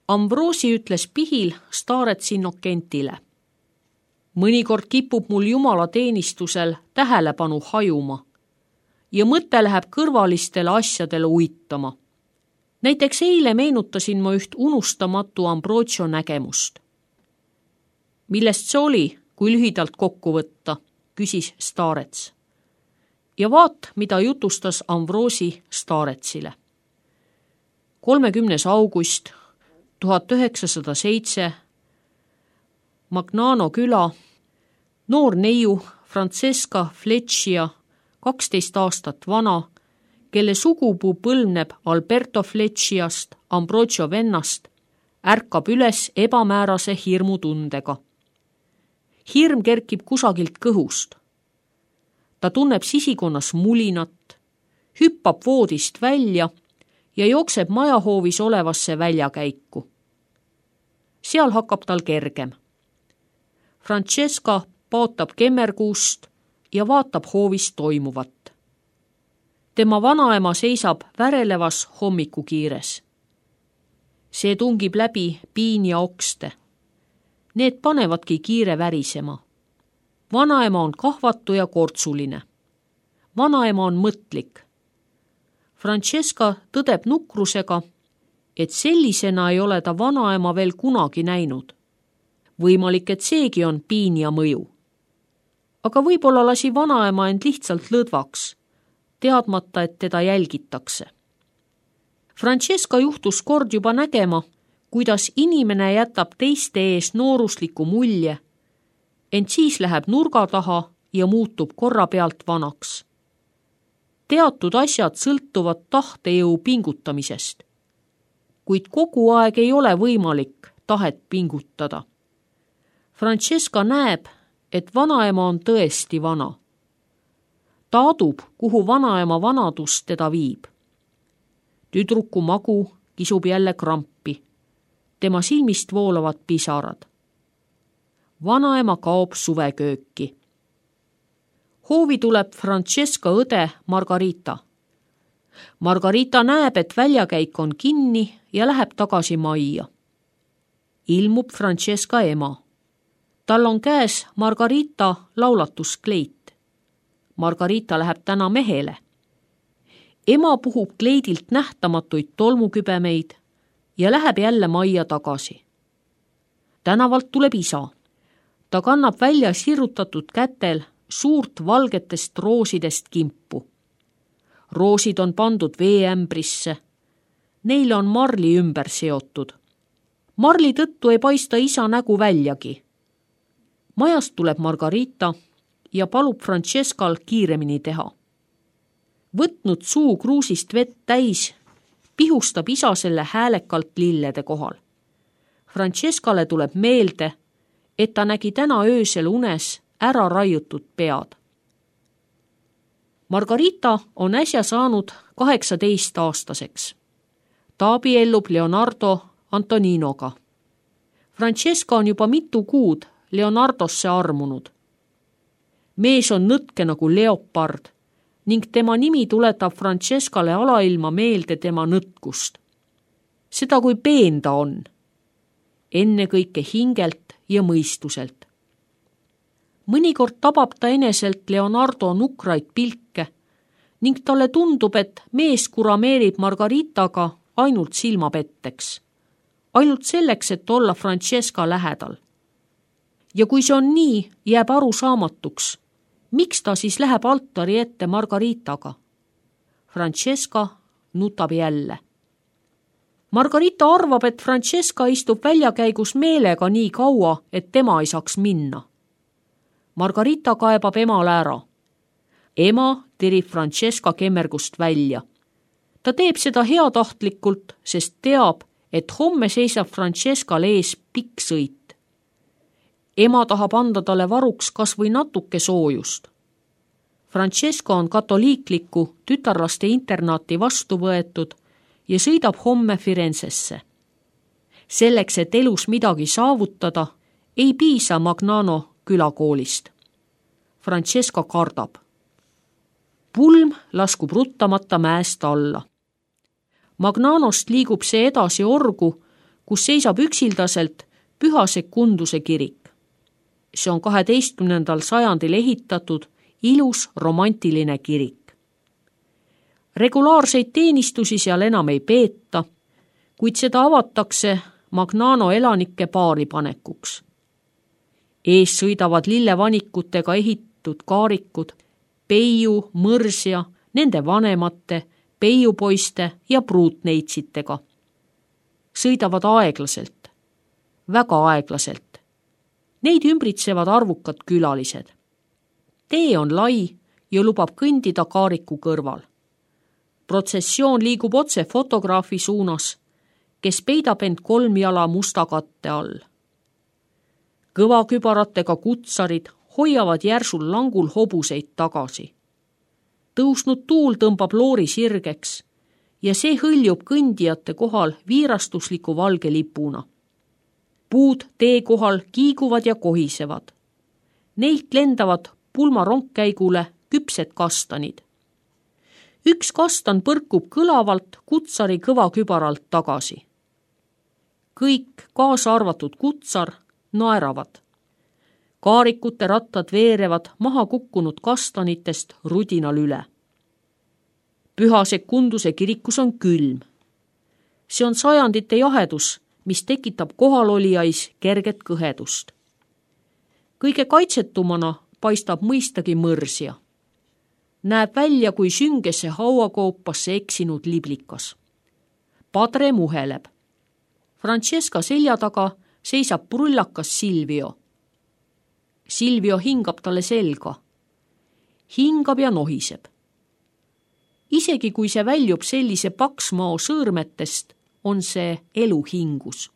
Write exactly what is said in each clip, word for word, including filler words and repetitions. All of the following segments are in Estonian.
Ambrosi ütles pihil Starets Innokentile. Mõnikord kipub mul jumala teenistusel tähelepanu hajuma ja mõte läheb kõrvalistele asjadele uitama. Näiteks eile meenutasin ma üht unustamatu Ambrosio nägemust. Millest see oli, kui lühidalt kokku võtta, küsis Starets. Ja vaat, mida jutustas Ambrosi Staretsile. kolmekümnes august tuhat üheksasada seitse Magnano küla, noor neiu Francesca Fleccia, kaksteist aastat vana, kelle sugupuu põlvneb Alberto Flecciast, Ambrosio vennast, ärkab üles ebamäärase hirmutundega. Hirm kerkib kusagilt kõhust. Ta tunneb sisikonnas mulinat, hüppab voodist välja ja jookseb majahoovis olevasse väljakäiku. Seal hakkab tal kergem. Francesca paotab kemmerkuust ja vaatab hoovis toimuvat. Tema vanaema seisab värelevas hommikukiires. See tungib läbi piin ja okste. Need panevadki kiire värisema. Vanaema on kahvatu ja kortsuline. Vanaema on mõtlik. Francesca tõdeb nukrusega, et sellisena ei ole ta vanaema veel kunagi näinud. Võimalik, et seegi on piin ja mõju. Aga võib-olla lasi vanaema end lihtsalt lõdvaks, teadmata, et teda jälgitakse. Francesca juhtus kord juba nägema, kuidas inimene jätab teiste ees noorusliku mulje, ent siis läheb nurga taha ja muutub korra pealt vanaks. Teatud asjad sõltuvad tahtejõu pingutamisest, kuid kogu aeg ei ole võimalik tahet pingutada. Francesca näeb, et vanaema on tõesti vana. Ta adub, kuhu vanaema vanadus teda viib. Tüdruku magu kisub jälle krampi. Tema silmist voolavad pisarad. Vanaema kaob suvekööki. Hoovi tuleb Francesca õde Margarita. Margarita näeb, et väljakäik on kinni ja läheb tagasi majja. Ilmub Francesca ema. Tal on käes Margarita laulatuskleit. Margarita läheb täna mehele. Ema puhub kleidilt nähtamatuid tolmukübemeid ja läheb jälle majja tagasi. Tänavalt tuleb isa. Ta kannab välja sirutatud kätel suurt valgetest roosidest kimpu. Roosid on pandud veeämbrisse. Neile on marli ümber seotud. Marli tõttu ei paista isa nägu väljagi. Majast tuleb Margarita ja palub Francescal kiiremini teha. Võtnud suu kruusist vett täis, pihustab isa selle häälekalt lillede kohal. Francescale tuleb meelde, et ta nägi täna öösel unes ära raiutud pead. Margarita on äsja saanud kaheksateist aastaseks. Ta abiellub Leonardo Antoninoga. Francesca on juba mitu kuud Leonardosse armunud. Mees on nõtke nagu leopard ning tema nimi tuletab Francescale alailma meelde tema nõtkust. Seda, kui peen ta on. Enne kõike hingelt ja mõistuselt. Mõnikord tabab ta eneselt Leonardo nukraid pilke ning talle tundub, et mees kurameerib Margaritaga ainult silmapetteks. Ainult selleks, et olla Francesca lähedal. Ja kui see on nii, jääb aru saamatuks, miks ta siis läheb altari ette Margaritaga? Francesca nutab jälle. Margarita arvab, et Francesca istub väljakäigus meelega nii kaua, et tema ei saaks minna. Margarita kaebab emale ära. Ema tirib Francesca kemmergust välja. Ta teeb seda heatahtlikult, sest teab, et homme seisab Francescal ees pikk sõit. Ema tahab anda talle varuks kas või natuke soojust. Francesca on katoliikliku tütarlaste internaati vastu võetud ja sõidab homme Firenzesse. Selleks, et elus midagi saavutada, ei piisa Magnano külakoolist. Francesca kardab. Pulm laskub ruttamata mäest alla. Magnanost liigub see edasi orgu, kus seisab üksildaselt Püha Secunduse kirik. See on kaheteistkümnendal sajandil ehitatud ilus romantiline kirik. Regulaarseid teenistusi seal enam ei peeta, kuid seda avatakse Magnano elanike paaripanekuks. Ees sõidavad lillevanikutega ehitud kaarikud, Peiu, Mõrsja, nende vanemate, Peiupoiste ja pruutneitsitega. Sõidavad aeglaselt, väga aeglaselt. Neid ümbritsevad arvukad külalised. Tee on lai ja lubab kõndida kaariku kõrval. Protsessioon liigub otse fotograafi suunas, kes peidab end kolm jala musta katte all. Kõvakübaratega kutsarid hoiavad järsul langul hobuseid tagasi. Tõusnud tuul tõmbab loori sirgeks ja see hõljub kõndijate kohal viirastusliku valge lipuna. Puud tee kohal kiiguvad ja kohisevad. Neilt lendavad pulmarongkäigule küpsed kastanid. Üks kastan põrkub kõlavalt kutsari kõvakübaralt tagasi. Kõik, kaasa arvatud kutsar, naeravad. Kaarikute rattad veerevad maha kukkunud kastanitest rudinal üle. Püha Secunduse kirikus on külm. See on sajandite jahedus, mis tekitab kohalolijais kerget kõhedust. Kõige kaitsetumana paistab mõistagi Mõrsja. Näeb välja kui süngesse hauakoopasse eksinud liblikas. Padre muheleb. Francesca selja taga seisab prullakas Silvio. Silvio hingab talle selga. Hingab ja nohiseb. Isegi kui see väljub sellise paksmao sõõrmetest, on see eluhingus.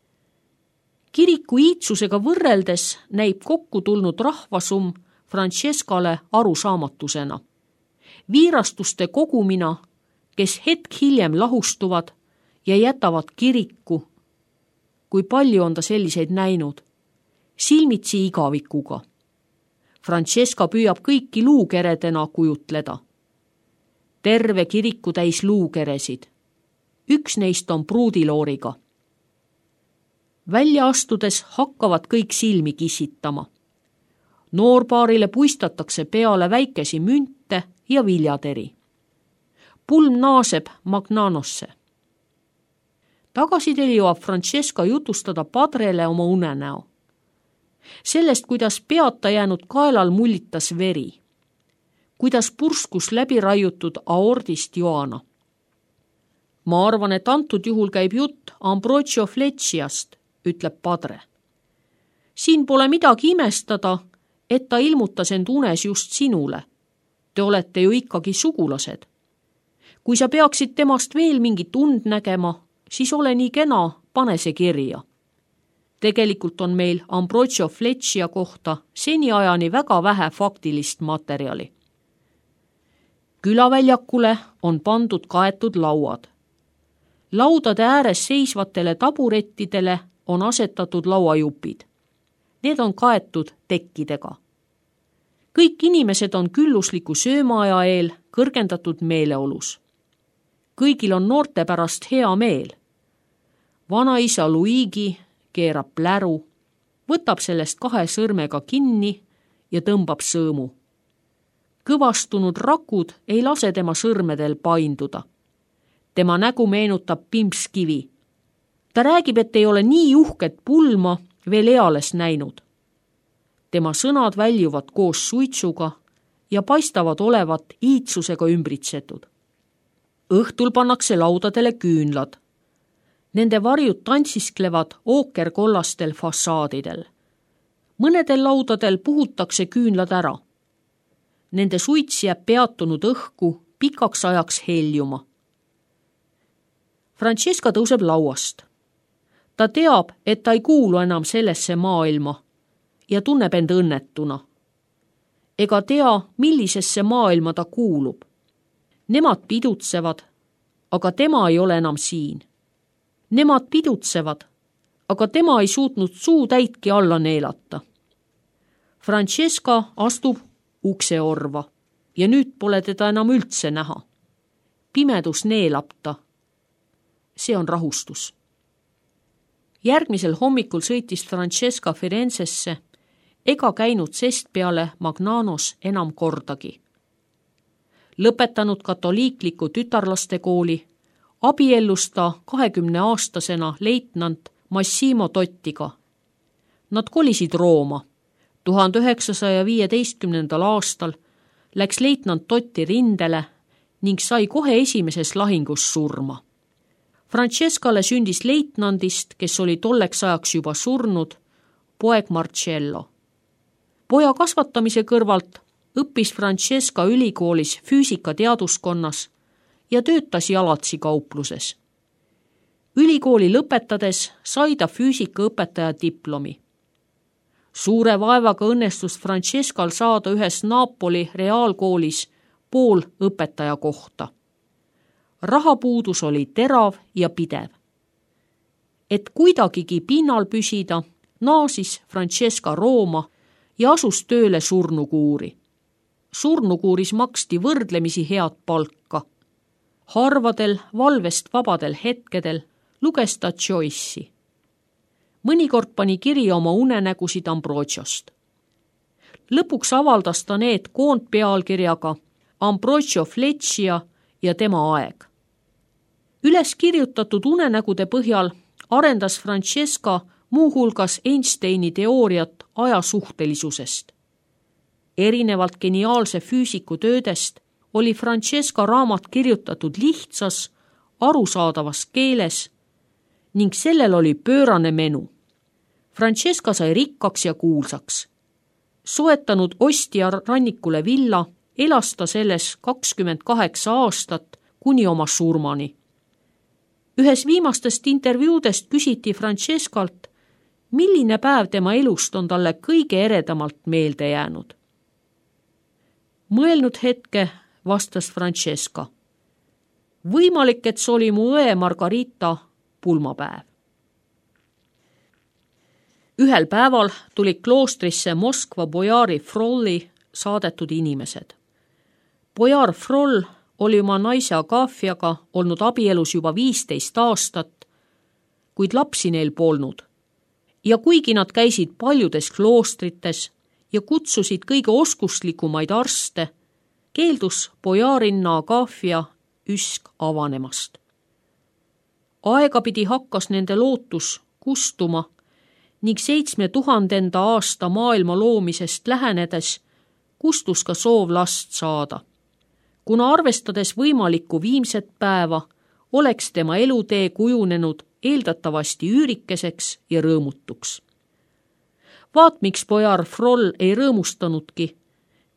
Kiriku iitsusega võrreldes näib kokku tulnud rahvasum Francescale arusaamatusena. Viirastuste kogumina, kes hetk hiljem lahustuvad ja jätavad kiriku, kui palju on ta selliseid näinud, silmitsi igavikuga. Francesca püüab kõiki luukeredena kujutleda. Terve kiriku täis luukeresid. Üks neist on pruudilooriga. Välja astudes hakkavad kõik silmi kissitama. Noorpaarile puistatakse peale väikesi münte ja viljateri. Pulm naaseb Magnanosse. Tagasidel jõuab Francesca jutustada padrele oma unenäo. Sellest, kuidas peata jäänud kaelal mullitas veri. Kuidas purskus läbi raiutud aordist joana. Ma arvan, et antud juhul käib jutt Ambrogio Flecciast, ütleb padre. Siin pole midagi imestada, et ta ilmutas end unes just sinule. Te olete ju ikkagi sugulased. Kui sa peaksid temast veel mingit und nägema, siis ole nii kena, pane see kirja. Tegelikult on meil Ambrogio Fleccia kohta seniajani väga vähe faktilist materjali. Külaväljakule on pandud kaetud lauad. Laudade ääres seisvatele taburettidele on asetatud lauajupid. Need on kaetud tekkidega. Kõik inimesed on küllusliku söömaaja eel kõrgendatud meeleolus. Kõigil on noorte pärast hea meel. Vanaisa Luigi keerab pläru, võtab sellest kahe sõrmega kinni ja tõmbab sõõmu. Kõvastunud rakud ei lase tema sõrmedel painduda. Tema nägu meenutab pimpskivi. Ta räägib, et ei ole nii uhket pulma veel eales näinud. Tema sõnad väljuvad koos suitsuga ja paistavad olevat iitsusega ümbritsetud. Õhtul pannakse laudadele küünlad. Nende varjud tantsisklevad ookerkollastel fassaadidel. Mõnedel laudadel puhutakse küünlad ära. Nende suits jääb peatunud õhku pikaks ajaks heljuma. Francesca tõuseb lauast. Ta teab, et ta ei kuulu enam sellesse maailma ja tunneb end õnnetuna. Ega tea, millisesse maailma ta kuulub. Nemad pidutsevad, aga tema ei ole enam siin. Nemad pidutsevad, aga tema ei suutnud suu täitki alla neelata. Francesca astub ukse orva ja nüüd pole teda enam üldse näha. Pimedus neelab ta. See on rahustus. Järgmisel hommikul sõitis Francesca Firenzesse ega käinud sest peale Magnanos enam kordagi. Lõpetanud katoliikliku tütarlaste kooli, abiellus ta kahekümne aastasena leitnant Massimo Tottiga. Nad kolisid Rooma. tuhande üheksasaja viieteistkümnendal aastal läks leitnant Totti rindele ning sai kohe esimeses lahingus surma. Francescale sündis leitnandist, kes oli tolleks ajaks juba surnud, poeg Marcello. Poja kasvatamise kõrvalt õppis Francesca ülikoolis füüsikateaduskonnas ja töötas jalatsi kaupluses. Ülikooli lõpetades sai ta füüsikaõpetaja diplomi. Suure vaevaga õnnestus Francescal saada ühes Napoli reaalkoolis pool õpetaja kohta. Rahapuudus oli terav ja pidev. Et kuidagigi pinnal püsida, naasis Francesca Rooma ja asus tööle surnukuuri. Surnukuuris maksti võrdlemisi head palka. Harvadel valvest vabadel hetkedel luges ta Joyce'i. Mõnikord pani kirja oma unenägusid Ambrogiost. Lõpuks avaldas ta need koondpealkirjaga Ambrogio Fleccia ja tema aeg. Üles kirjutatud unenägude põhjal arendas Francesca muuhulgas Einsteini teooriat ajasuhtelisusest. Erinevalt geniaalse füüsiku töödest oli Francesca raamat kirjutatud lihtsas, arusaadavas keeles ning sellel oli pöörane menu. Francesca sai rikkaks ja kuulsaks. Soetanud ostja rannikule villa, elas ta selles kakskümmend kaheksa aastat kuni oma surmani. Ühes viimastest intervjuudest küsiti Francescalt, milline päev tema elust on talle kõige eredamalt meelde jäänud. Mõelnud hetke vastas Francesca. Võimalik, et see oli mu õe Margarita pulmapäev. Ühel päeval tuli kloostrisse Moskva bojari Frolli saadetud inimesed. Bojar Froll oli oma naise Agafiaga olnud abielus juba viisteist aastat, kuid lapsi neil polnud. Ja kuigi nad käisid paljudes kloostrites ja kutsusid kõige oskuslikumaid arste, keeldus bojarinna Agafia üsk avanemast. Aegapidi hakkas nende lootus kustuma ning seitsme tuhandenda aasta maailma loomisest lähenedes kustus ka soov last saada. Kuna arvestades võimalikku viimset päeva, oleks tema elutee kujunenud eeldatavasti üürikeseks ja rõõmutuks. Vaat miks bojar Froll ei rõõmustanudki,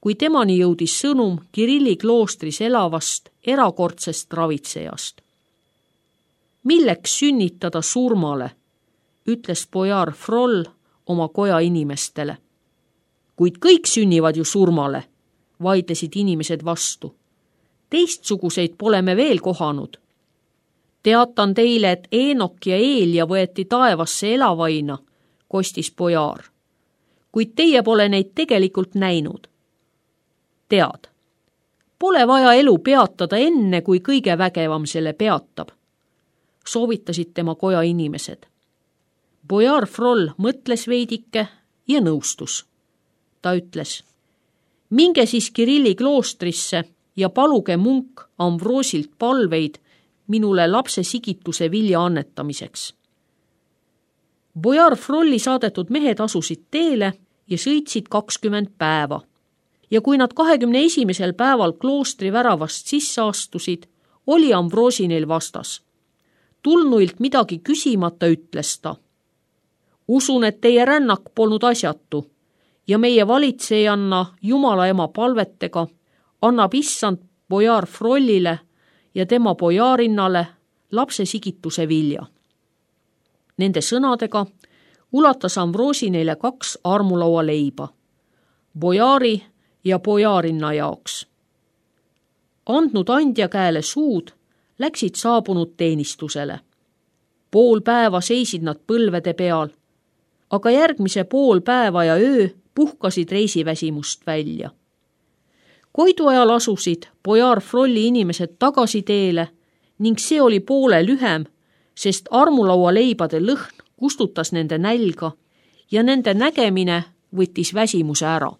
kui temani jõudis sõnum Kirilli kloostris elavast erakordsest ravitsejast. Milleks sünnitada surmale, ütles bojar Froll oma koja inimestele. Kuid kõik sünnivad ju surmale, vaidlesid inimesed vastu. Teistsuguseid pole me veel kohanud. Teatan teile, et Eenok ja Eelja võeti taevasse elavaina, kostis bojar. Kuid teie pole neid tegelikult näinud. Tead, pole vaja elu peatada enne, kui kõige vägevam selle peatab, soovitasid tema koja inimesed. Bojar Froll mõtles veidike ja nõustus. Ta ütles, minge siis Kirilli kloostrisse ja paluge munk Ambrosilt palveid minule lapse sigituse vilja annetamiseks. Bojar Frolli saadetud mehed asusid teele ja sõitsid kakskümmend päeva. Ja kui nad kahekümne esimesel päeval kloostri väravast sisse astusid, oli Ambrosi neil vastas. Tulnuilt midagi küsimata ütles ta. Usun, et teie rännak polnud asjatu ja meie valitsejanna Jumala ema palvetega annab issand bojar Frollile ja tema bojarinnale lapse sigituse vilja. Nende sõnadega ulatas Ambrosi neile kaks armulaua leiba, bojari ja bojarinna jaoks. Andnud andja käele suud, läksid saabunud teenistusele. Pool päeva seisid nad põlvede peal, aga järgmise pool päeva ja öö puhkasid reisiväsimust välja. Koidu ajal asusid bojar Frolli inimesed tagasi teele ning see oli poole lühem, sest armulaua leibade lõhn kustutas nende nälga ja nende nägemine võttis väsimuse ära.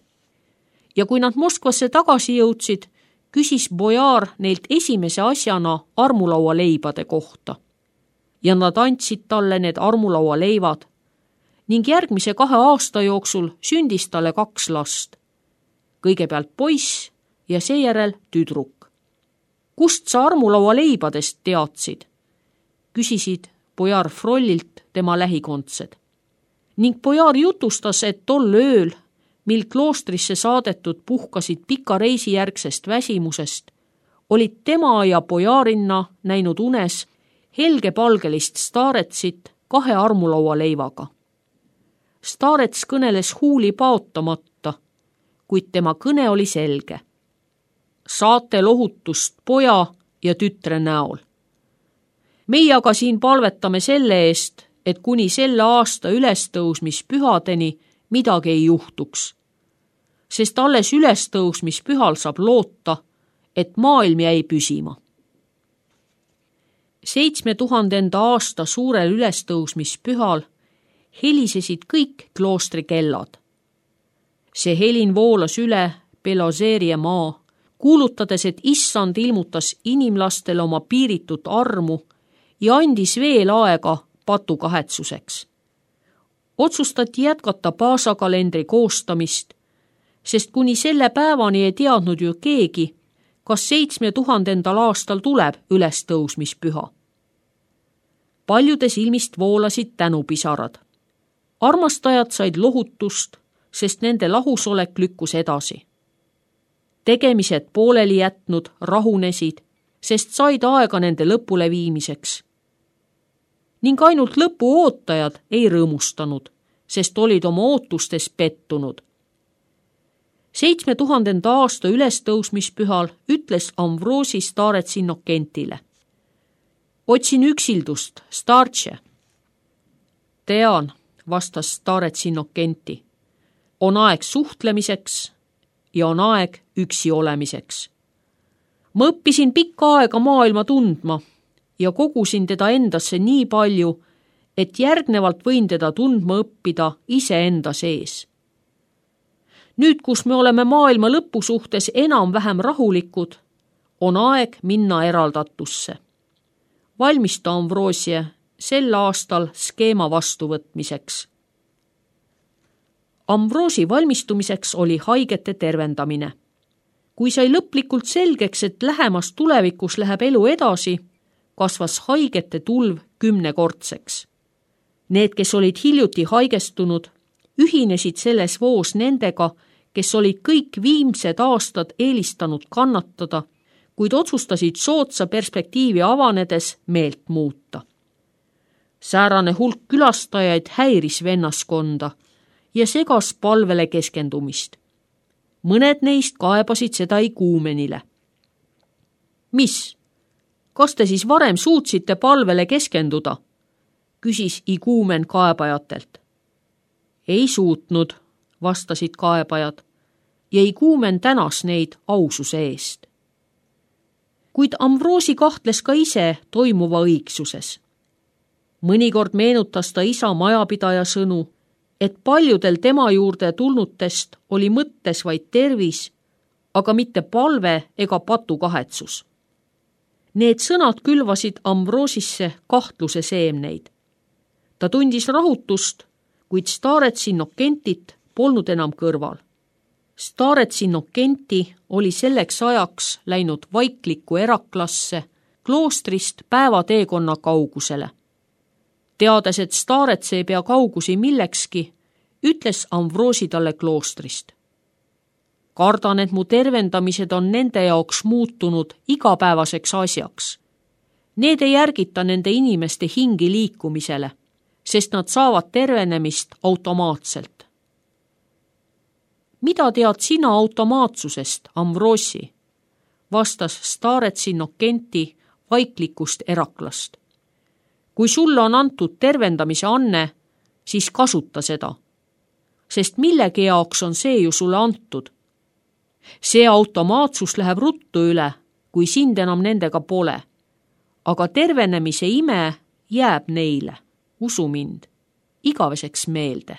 Ja kui nad Moskvasse tagasi jõudsid, küsis bojaar neilt esimese asjana armulaua leibade kohta. Ja nad andsid talle need armulaua leivad ning järgmise kahe aasta jooksul sündis talle kaks last. Kõigepealt poiss ja seejärel tüdruk. Kust sa armulaua leibadest teadsid? Küsisid bojaar Frollilt tema lähikondsed. Ning bojaar jutustas, et tol ööl, mil kloostrisse saadetud puhkasid pika reisi järgsest väsimusest, olid tema ja bojaarinna näinud unes helgepalgelist staaretsit kahe armulaua leivaga. Staarets kõneles huuli paotamata, kuid tema kõne oli selge. Saate lohutust poja ja tütre näol. Meie aga siin palvetame selle eest, et kuni selle aasta ülestõusmispühadeni midagi ei juhtuks. Sest alles ülestõusmispühal saab loota, et maailm jäi püsima. Seitsme tuhandenda aasta suurel ülestõusmispühal helisesid kõik kloostri kellad. See helin voolas üle Belozeeria maa, kuulutades, et issand ilmutas inimlastele oma piiritut armu ja andis veel aega patukahetsuseks. Otsustati jätkata paasakalendri koostamist, sest kuni selle päevani ei teadnud ju keegi, kas seitsme tuhandendal aastal tuleb ülestõusmispüha. Paljude silmist voolasid tänupisarad. Armastajad said lohutust, sest nende lahusolek lükkus edasi. Tegemised pooleli jätnud rahunesid, sest said aega nende lõpule viimiseks. Ning ainult lõpu ootajad ei rõõmustanud, sest olid oma ootustes pettunud. Seitsme tuhandenda aasta ülestõusmispühal ütles Amvroosi Starets Innokentile. Otsin üksildust, Startše. Tean, vastas Starets Innokenti. On aeg suhtlemiseks ja on aeg üksi olemiseks. Ma õppisin pikka aega maailma tundma ja kogusin teda endasse nii palju, et järgnevalt võin teda tundma õppida iseenda sees. Nüüd, kus me oleme maailma lõpu suhtes enam-vähem rahulikud, on aeg minna eraldatusse. Valmista Amvroosie sel aastal skeema vastuvõtmiseks. Amvroosi valmistumiseks oli haigete tervendamine. Kui sai lõplikult selgeks, et lähemas tulevikus läheb elu edasi, kasvas haigete tulv kümnekordseks. Need, kes olid hiljuti haigestunud, ühinesid selles voos nendega, kes olid kõik viimsed aastad eelistanud kannatada, kuid otsustasid sootsa perspektiivi avanedes meelt muuta. Säärane hulk külastajaid häiris vennaskonda ja segas palvele keskendumist. Mõned neist kaebasid seda iguumenile. Mis? Kas te siis varem suutsite palvele keskenduda? Küsis iguumen kaebajatelt. Ei suutnud, vastasid kaebajad, ja iguumen tänas neid aususe eest. Kuid Amvroosi kahtles ka ise toimuva õigsuses. Mõnikord meenutas ta isa majapidaja sõnu, et paljudel tema juurde tulnutest oli mõttes vaid tervis, aga mitte palve ega patukahetsus. Need sõnad külvasid Amvroosisse kahtluse seemneid. Ta tundis rahutust, kuid Starets Innokentit polnud enam kõrval. Starets Innokenti oli selleks ajaks läinud vaiklikku eraklasse kloostrist päevateekonna kaugusele. Teades, et Starets ei pea kaugusi millekski, ütles Amvroosi talle kloostrist. Kardan, et mu tervendamised on nende jaoks muutunud igapäevaseks asjaks. Need ei järgita nende inimeste hingi liikumisele, sest nad saavad tervenemist automaatselt. Mida tead sina automaatsusest, Amvroosi? Vastas Starets Innokenti vaiklikust eraklast. Kui sulle on antud tervendamise anne, siis kasuta seda, sest millegi jaoks on see ju sulle antud. See automaatsus läheb ruttu üle, kui sind enam nendega pole, aga tervenemise ime jääb neile, usu mind. igaveseks meelde.